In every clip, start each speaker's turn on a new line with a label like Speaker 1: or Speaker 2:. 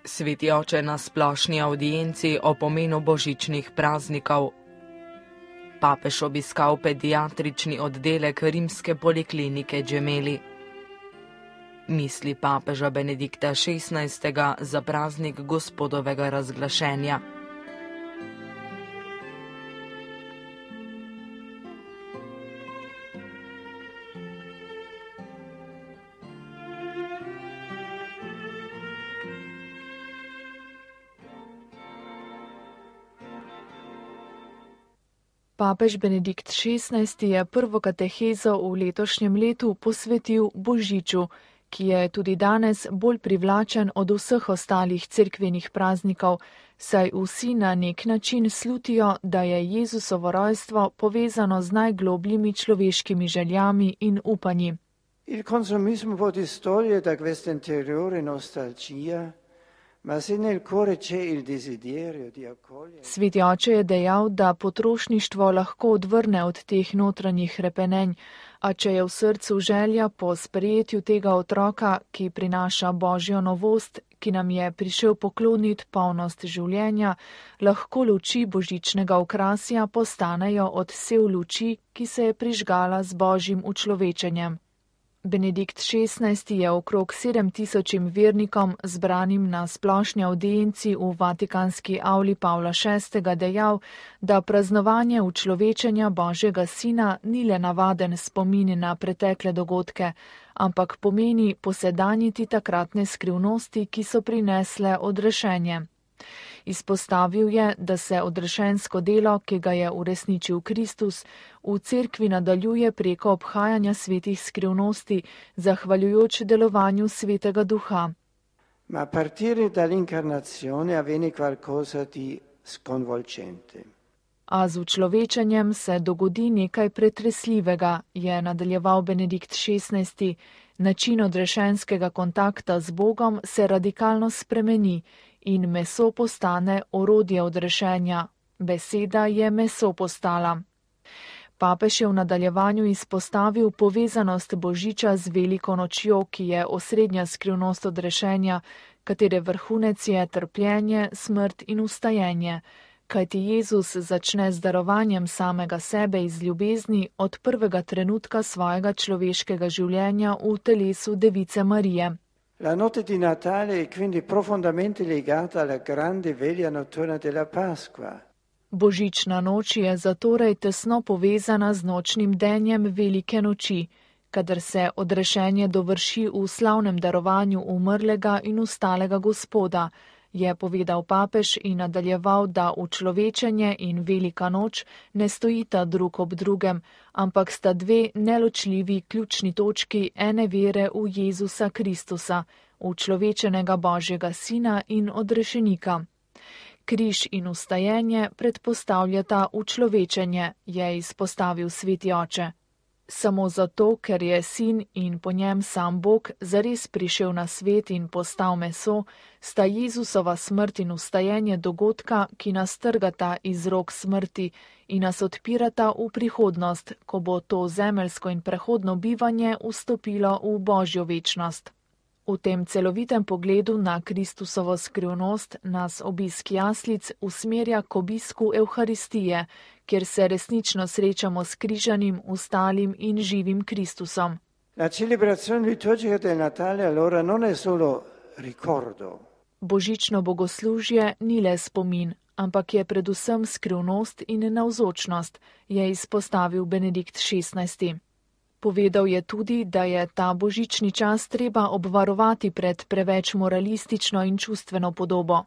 Speaker 1: Sveti oče na splošni avdienci o pomenu božičnih praznikov. Papež obiskal pediatrični oddelek rimske poliklinike Gemelli. Misli papeža Benedikta XVI. Za praznik Gospodovega razglašenja.
Speaker 2: Papež Benedikt XVI. Je prvo katehezo v letošnjem letu posvetil Božiču, ki je tudi danes bolj privlačen od vseh ostalih cerkvenih praznikov, saj vsi na nek način slutijo, da je Jezusovo rojstvo povezano z najglobljimi človeškimi željami in upanji.
Speaker 3: Il consumismo può distogliere da questa interiore nostalgia, ma se nel cuore c'è il desiderio di accogliere.
Speaker 2: Sveti oče je dejal, da potrošništvo lahko odvrne od teh notranjih hrepenenj, a če je v srcu želja po sprejetju tega otroka, ki prinaša božjo novost, ki nam je prišel pokloniti polnost življenja, lahko luči božičnega okrasja postanejo odsev luči, ki se je prižgala z božjim učlovečenjem. Benedikt XVI. Je okrog 7000 vernikom, zbranim na splošni avdienci v Vatikanski avli Pavla VI. Dejal, da praznovanje učlovečenja Božjega Sina ni le navaden spomin na pretekle dogodke, ampak pomeni posedanjiti takratne skrivnosti, ki so prinesle odrešenje. Izpostavil je, da se odrešensko delo, ki ga je uresničil Kristus, v cerkvi nadaljuje preko obhajanja svetih skrivnosti, zahvaljujoč delovanju Svetega Duha.
Speaker 3: Ma a partire dall'incarnazione avviene qualcosa di sconvolgente.
Speaker 2: A z učlovečenjem se dogodi nekaj pretresljivega, je nadaljeval Benedikt XVI. Način odrešenskega kontakta z Bogom se radikalno spremeni in meso postane orodje odrešenja. Beseda je meso postala. Papež je v nadaljevanju izpostavil povezanost Božiča z veliko nočjo, ki je osrednja skrivnost odrešenja, katere vrhunec je trpljenje, smrt in vstajenje. Kajti Jezus začne z darovanjem samega sebe iz ljubezni od prvega trenutka svojega človeškega življenja v telesu Device Marije.
Speaker 3: La notte di Natale è quindi profondamente legata alla grande veglia notturna della Pasqua.
Speaker 2: Božična noč je zatorej tesno povezana z nočnim denjem velike noči, kadar se odrešenje dovrši v slavnem darovanju umrlega in ustalega Gospoda, je povedal papež in nadaljeval, da učlovečenje in velika noč ne stojita drug ob drugem, ampak sta dve neločljivi ključni točki ene vere v Jezusa Kristusa, učlovečenega Božjega Sina in odrešenika. Križ in vstajenje predpostavljata učlovečenje, je izpostavil sveti oče. Samo zato, ker je sin in po njem sam Bog zares prišel na svet in postal meso, sta Jezusova smrt in vstajenje dogodka, ki nas trgata iz rok smrti in nas odpirata v prihodnost, ko bo to zemeljsko in prehodno bivanje vstopilo v Božjo večnost. V tem celovitem pogledu na Kristusovo skrivnost nas obisk jaslic usmerja k obisku Evharistije, kjer se resnično srečamo s križanim, ustalim in živim Kristusom.
Speaker 3: La celebrazione liturgica del Natale allora non è solo ricordo.
Speaker 2: Božično bogoslužje ni le spomin, ampak je predvsem skrivnost in navzočnost, je izpostavil Benedikt XVI. Povedal je tudi, da je ta božični čas treba obvarovati pred preveč moralistično in čustveno podobo.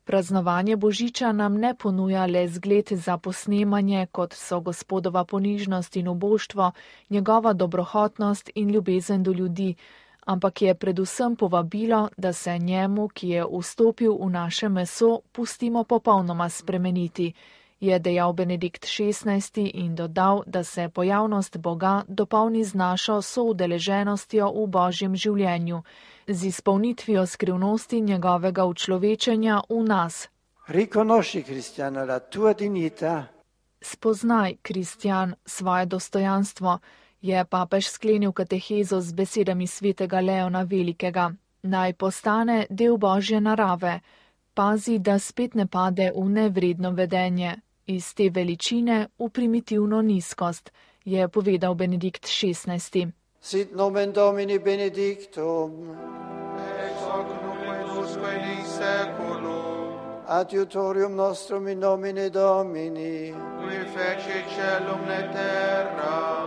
Speaker 2: Praznovanje Božiča nam ne ponuja le zgled za posnemanje, kot so Gospodova ponižnost in uboštvo, njegova dobrohotnost in ljubezen do ljudi, ampak je predvsem povabilo, da se njemu, ki je vstopil v naše meso, pustimo popolnoma spremeniti, je dejal Benedikt XVI. In dodal, da se pojavnost Boga dopolni z našo soudeleženostjo v Božjem življenju, z izpolnitvijo skrivnosti njegovega učlovečenja v nas.
Speaker 3: Riconosci, Cristiano, la tua dignità.
Speaker 2: Spoznaj, Kristjan, svoje dostojanstvo, je papež sklenil katehezo z besedami svetega Leona Velikega. naj postane del Božje narave, pazi, da spet ne pade v nevredno vedenje, iz te veličine v primitivno nizkost, je povedal Benedikt XVI.
Speaker 3: Sit nomen Domini benedictum,
Speaker 4: ex hoc nunc et usque in seculum,
Speaker 3: adiutorium nostrum in nomine Domini,
Speaker 4: qui fecit caelum et terra,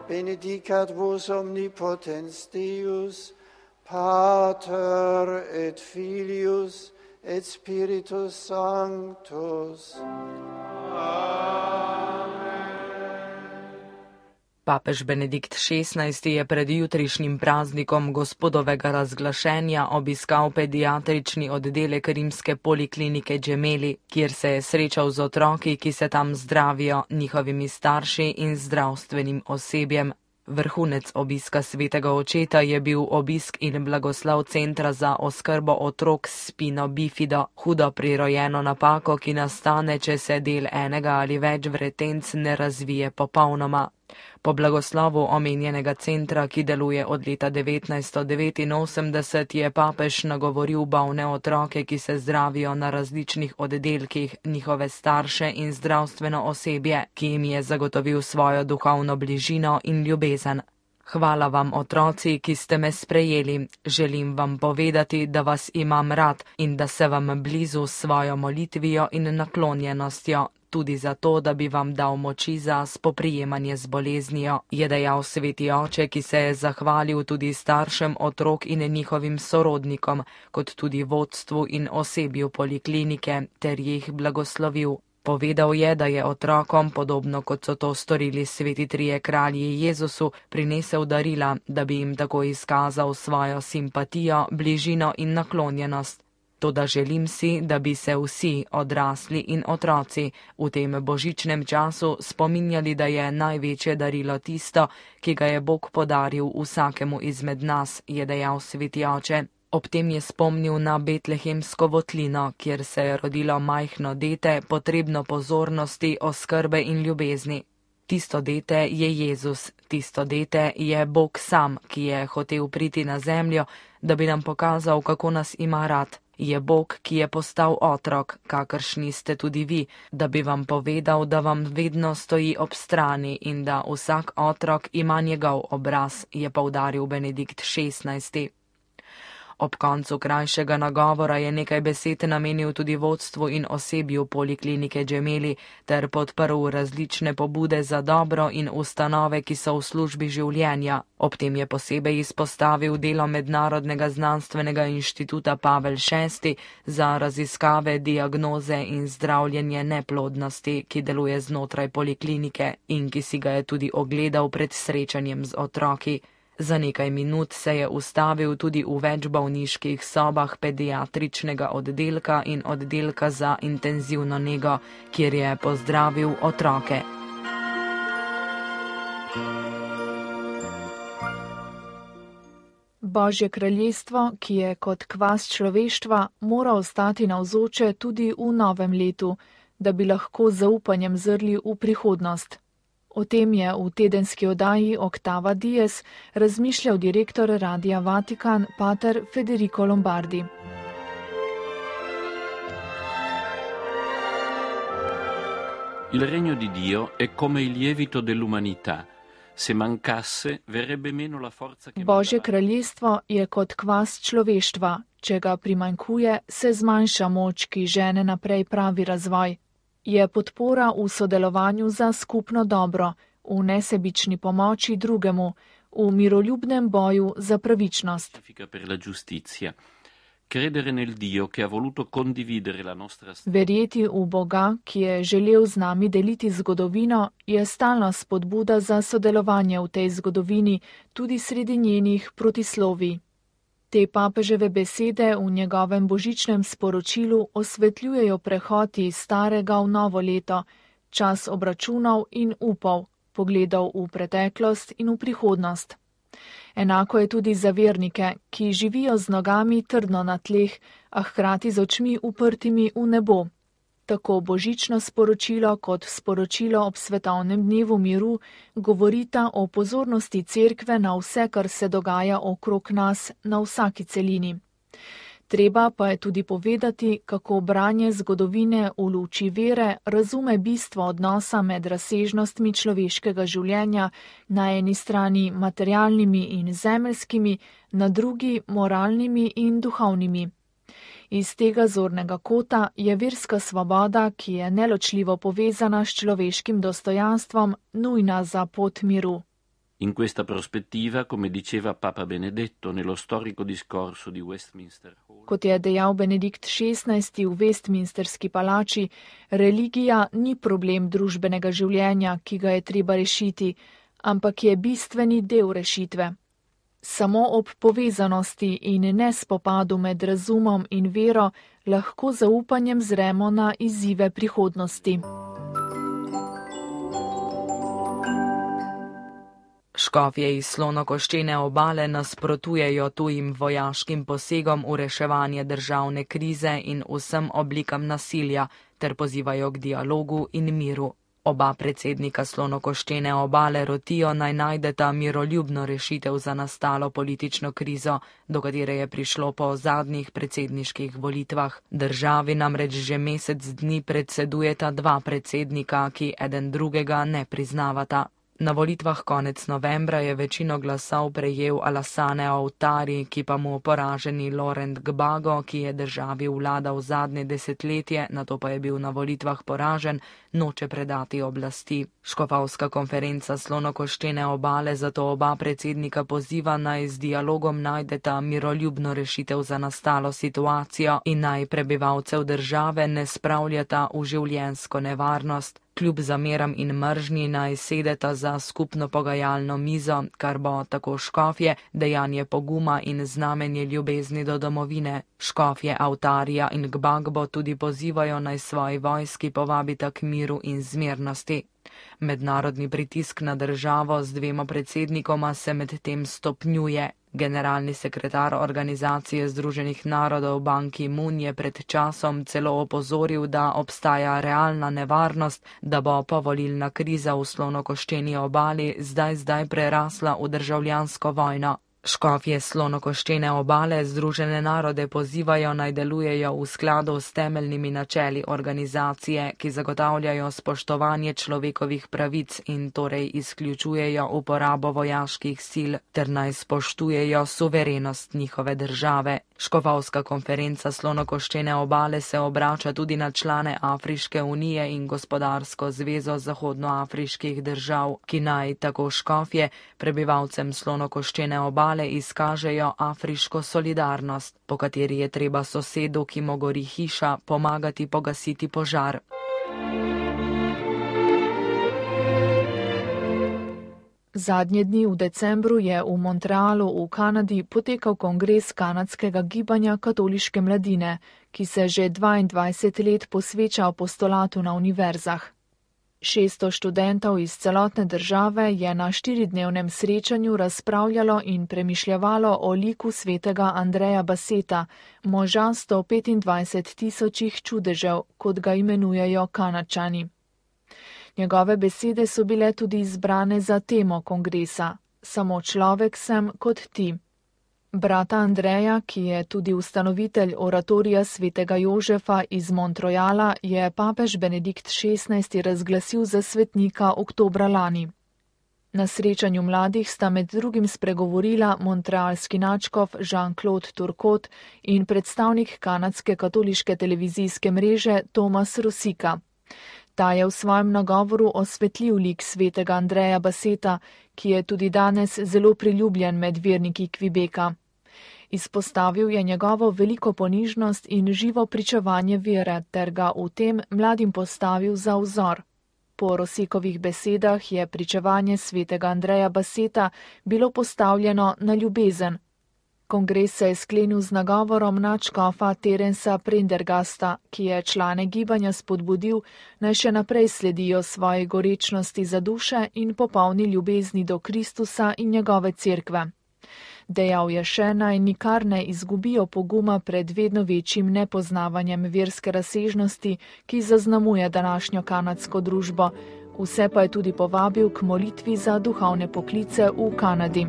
Speaker 3: benedicat vos omnipotens Deus, Pater et Filius et Spiritus Sanctus.
Speaker 1: Papež Benedikt XVI je pred jutrišnjim praznikom gospodovega razglašenja obiskal pediatrični oddelek rimske poliklinike Gemelli, kjer se je srečal z otroki, ki se tam zdravijo, njihovimi starši in zdravstvenim osebjem. Vrhunec obiska svetega očeta je bil obisk in blagoslov centra za oskrbo otrok s spino bifido, hudo prirojeno napako, ki nastane, če se del enega ali več vretenc ne razvije popolnoma. Po blagoslovu omenjenega centra, ki deluje od leta 1989, je papež nagovoril bolne otroke, ki se zdravijo na različnih oddelkih, njihove starše in zdravstveno osebje, ki jim je zagotovil svojo duhovno bližino in ljubezen. Hvala vam, otroci, ki ste me sprejeli. Želim vam povedati, da vas imam rad in da se vam blizu s svojo molitvijo in naklonjenostjo, tudi zato, da bi vam dal moči za spoprijemanje z boleznijo, je dejal sveti oče, ki se je zahvalil tudi staršem otrok in njihovim sorodnikom, kot tudi vodstvu in osebju poliklinike, ter jih blagoslovil. Povedal je, da je otrokom, podobno kot so to storili sveti trije kralji Jezusu, prinesel darila, da bi jim tako izkazal svojo simpatijo, bližino in naklonjenost. Toda želim si, da bi se vsi, odrasli in otroci, v tem božičnem času spominjali, da je največje darilo tisto, ki ga je Bog podaril vsakemu izmed nas, je dejal sveti oče. Ob tem je spomnil na betlehemsko votlino, kjer se je rodilo majhno dete, potrebno pozornosti, oskrbe in ljubezni. Tisto dete je Jezus, tisto dete je Bog sam, ki je hotel priti na zemljo, da bi nam pokazal, kako nas ima rad. Je Bog, ki je postal otrok, kakršni ste tudi vi, da bi vam povedal, da vam vedno stoji ob strani in da vsak otrok ima njegov obraz, je poudaril Benedikt XVI. Ob koncu krajšega nagovora je nekaj besed namenil tudi vodstvu in osebju poliklinike Gemelli ter podprl različne pobude za dobro in ustanove, ki so v službi življenja. Ob tem je posebej izpostavil delo Mednarodnega znanstvenega inštituta Pavel VI za raziskave, diagnoze in zdravljenje neplodnosti, ki deluje znotraj poliklinike in ki si ga je tudi ogledal pred srečanjem z otroki. Za nekaj minut se je ustavil tudi v več bolniških sobah pediatričnega oddelka in oddelka za intenzivno nego, kjer je pozdravil otroke.
Speaker 2: Božje kraljestvo, ki je kot kvas človeštva, mora ostati navzoče tudi v novem letu, da bi lahko z zaupanjem zrli v prihodnost. O tem je v tedenski oddaji Oktava Dies razmišljal direktor Radia Vatikan, pater Federico Lombardi.
Speaker 5: Il regno di Dio è come il lievito dell'umanità. Se mancasse, verrebbe meno la forza che
Speaker 2: Božje kraljestvo je kot kvas človeštva. Če ga primanjkuje, se zmanjša moč, ki žene naprej pravi razvoj. Je podpora v sodelovanju za skupno dobro, v nesebični pomoči drugemu, v miroljubnem boju za pravičnost. Verjeti v Boga, ki je želel z nami deliti zgodovino, je stalna spodbuda za sodelovanje v tej zgodovini, tudi sredi njenih protislovij. Te papeževe besede v njegovem božičnem sporočilu osvetljujejo prehod iz starega v novo leto, čas obračunov in upov, pogledov v preteklost in v prihodnost. Enako je tudi za vernike, ki živijo z nogami trdno na tleh, a hkrati z očmi uprtimi v nebo. Tako božično sporočilo kot sporočilo ob svetovnem dnevu miru govorita o pozornosti cerkve na vse, kar se dogaja okrog nas na vsaki celini. Treba pa je tudi povedati, kako branje zgodovine v luči vere razume bistvo odnosa med razsežnostmi človeškega življenja, na eni strani materialnimi in zemeljskimi, na drugi moralnimi in duhovnimi. Iz tega zornega kota je verska svoboda, ki je neločljivo povezana s človeškim dostojanstvom, nujna za pot miru.
Speaker 5: In questa prospettiva, come diceva Papa Benedetto nello storico discorso di Westminster Hall.
Speaker 2: Kot je dejal Benedikt XVI v Westminsterski palači, religija ni problem družbenega življenja, ki ga je treba rešiti, ampak je bistveni del rešitve. Samo ob povezanosti in ne spopadu med razumom in vero lahko zaupanjem zremo na izzive prihodnosti.
Speaker 1: Škofje iz Slonokoščene obale nasprotujejo tujim vojaškim posegom v reševanje državne krize in vsem oblikam nasilja ter pozivajo k dialogu in miru. Oba predsednika Slonokoščene obale rotijo naj najdeta miroljubno rešitev za nastalo politično krizo, do katere je prišlo po zadnjih predsedniških volitvah. Državi namreč že mesec dni predsedujeta dva predsednika, ki eden drugega ne priznavata. Na volitvah konec novembra je večino glasov prejel Alassane Ouattara, ki pa mu poraženi Laurent Gbagbo, ki je državi vladal zadnje desetletje, nato pa je bil na volitvah poražen, noče predati oblasti. Škofovska konferenca Slonokoščene obale zato oba predsednika poziva naj z dialogom najdeta miroljubno rešitev za nastalo situacijo in naj prebivalcev države ne spravljata v življenjsko nevarnost. Kljub zameram in mržnji naj sedeta za skupno pogajalno mizo, kar bo tako škofje dejanje poguma in znamenje ljubezni do domovine. Škofje Ouattarja in Gbagbo tudi pozivajo naj svoji vojski povabita k miru in zmernosti. Mednarodni pritisk na državo z dvema predsednikoma se medtem stopnjuje. Generalni sekretar Organizacije Združenih narodov Ban Ki-moon je pred časom celo opozoril, da obstaja realna nevarnost, da bo povolilna kriza v Slonokoščeni obali zdaj prerasla v državljansko vojno. Škofje Slonokoščene obale Združene narode pozivajo naj delujejo v skladu s temeljnimi načeli organizacije, ki zagotavljajo spoštovanje človekovih pravic in torej izključujejo uporabo vojaških sil ter naj spoštujejo suverenost njihove države. Škofovska konferenca Slonokoščene obale se obrača tudi na člane Afriške unije in Gospodarsko zvezo zahodnoafriških držav, ki naj tako škofje prebivalcem Slonokoščene obale izkažejo afriško solidarnost, po kateri je treba sosedu, ki mu gori hiša, pomagati pogasiti požar.
Speaker 2: Zadnje dni v decembru je v Montrealu v Kanadi potekal kongres kanadskega gibanja katoliške mladine, ki se že 22 let posveča apostolatu na univerzah. 600 študentov iz celotne države je na 4-dnevnem srečanju razpravljalo in premišljavalo o liku svetega Andreja Basseta, moža 125.000 čudežev, kot ga imenujejo Kanadčani. Njegove besede so bile tudi izbrane za temo kongresa: Samo človek sem kot ti. Brata Andreja, ki je tudi ustanovitelj oratorija svetega Jožefa iz Montreala, je papež Benedikt XVI razglasil za svetnika oktobra lani. Na srečanju mladih sta med drugim spregovorila montrealski nadškof Jean-Claude Turcot in predstavnik kanadske katoliške televizijske mreže Thomas Rosika. Ta je v svojem nagovoru osvetlil lik svetega Andreja Basseta, ki je tudi danes zelo priljubljen med verniki Quebeca. Izpostavil je njegovo veliko ponižnost in živo pričevanje vere ter ga v tem mladim postavil za vzor. Po Rosikovih besedah je pričevanje svetega Andreja Basseta bilo postavljeno na ljubezen. Kongres se je sklenil z nagovorom nadškofa Terensa Prendergasta, ki je člane gibanja spodbudil, naj še naprej sledijo svoji gorečnosti za duše in popolni ljubezni do Kristusa in njegove cerkve. Dejal je še, naj nikar ne izgubijo poguma pred vedno večjim nepoznavanjem verske razsežnosti, ki zaznamuje današnjo kanadsko družbo. Vse pa je tudi povabil k molitvi za duhovne poklice v Kanadi.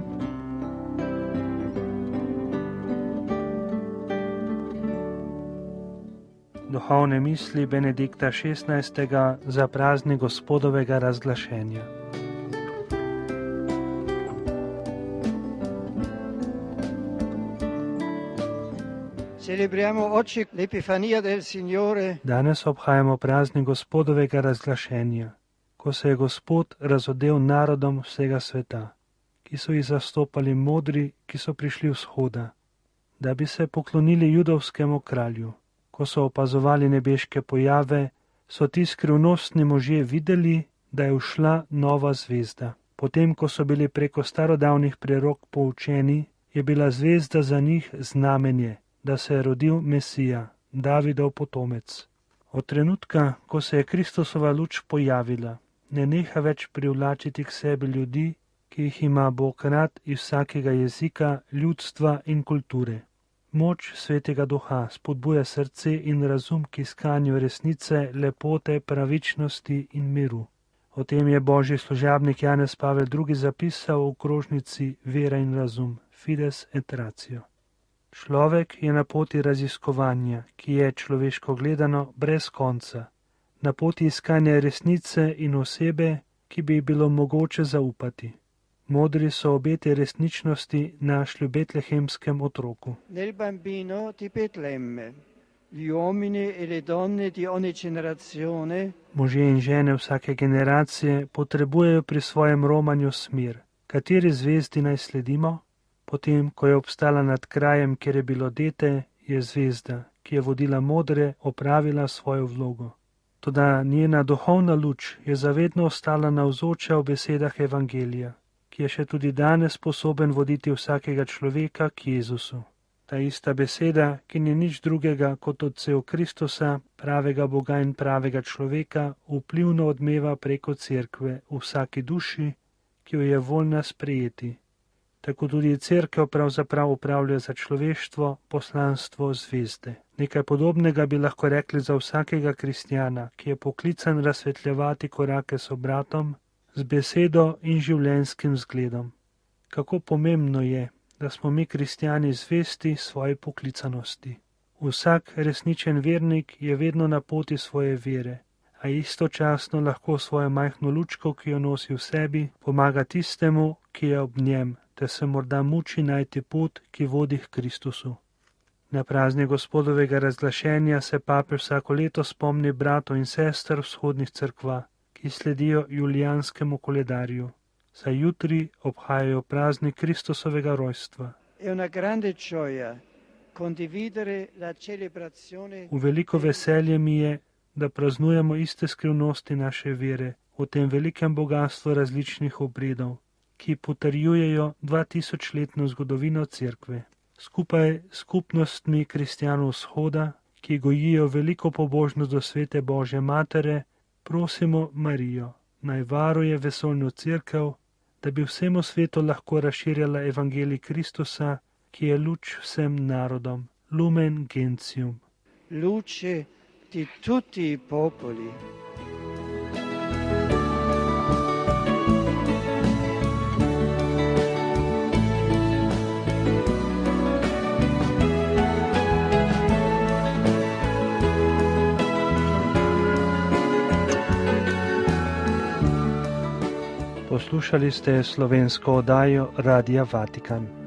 Speaker 6: Duhovne misli Benedikta XVI. Za praznik Gospodovega razglašenja. Danes obhajamo praznik Gospodovega razglašenja, ko se je Gospod razodel narodom vsega sveta, ki so jih zastopali modri, ki so prišli vzhoda, da bi se poklonili judovskemu kralju. Ko so opazovali nebeške pojave, so ti skrivnostni možje videli, da je ušla nova zvezda. Potem, ko so bili preko starodavnih prerok poučeni, je bila zvezda za njih znamenje, da se je rodil Mesija, Davidov potomec. Od trenutka, ko se je Kristusova luč pojavila, ne neha več privlačiti k sebi ljudi, ki jih ima Bog rad iz vsakega jezika, ljudstva in kulture. Moč Svetega Duha spodbuja srce in razum k iskanju resnice, lepote, pravičnosti in miru. O tem je božji služabnik Janez Pavel II. Zapisal v krožnici Vera in razum, Fides et Ratio. Človek je na poti raziskovanja, ki je človeško gledano brez konca, na poti iskanja resnice in osebe, ki bi bilo mogoče zaupati. Modri so obete resničnosti našli v betlehemskem otroku.
Speaker 3: Nel bambino di Betlemme, gli uomini e le donne di ogni generazione.
Speaker 6: Možje in žene vsake generacije potrebujejo pri svojem romanju smer. Kateri zvezdi naj sledimo? Potem, ko je obstala nad krajem, kjer je bilo dete, je zvezda, ki je vodila modre, opravila svojo vlogo. Toda njena duhovna luč je zavedno ostala navzoča v besedah Evangelija, ki je še tudi danes sposoben voditi vsakega človeka k Jezusu. Ta ista beseda, ki ni nič drugega kot odsev Kristusa, pravega Boga in pravega človeka, vplivno odmeva preko cerkve v vsaki duši, ki jo je voljna sprejeti. Tako tudi cerkev pravzaprav upravlja za človeštvo poslanstvo zvezde. Nekaj podobnega bi lahko rekli za vsakega kristjana, ki je poklican razsvetljevati korake s bratom, z besedo in življenjskim zgledom. Kako pomembno je, da smo mi kristjani zvesti svoji poklicanosti. Vsak resničen vernik je vedno na poti svoje vere, a istočasno lahko svojo majhno lučko, ki jo nosi v sebi, pomaga tistemu, ki je ob njem, te se morda muči najti pot, ki vodi k Kristusu. Na praznik Gospodovega razglašenja se papež vsako leto spomni bratov in sester vzhodnih cerkva, ki sledijo julijanskemu koledarju, saj jutri obhajajo praznik Kristusovega rojstva. V veliko veselje mi je, da praznujemo iste skrivnosti naše vere v tem velikem bogastvu različnih obredov, ki potrjujejo 2000-letno zgodovino cerkve. Skupaj s skupnostmi kristjanov vzhoda, ki gojijo veliko pobožnost do svete Božje matere, prosimo Marijo, naj varuje vesoljno cerkev, da bi vsemu svetu lahko razširjala evangelij Kristusa, ki je luč vsem narodom. Lumen Gentium.
Speaker 3: Luce di tutti i popoli.
Speaker 6: Poslušali ste slovensko oddajo Radia Vatikan.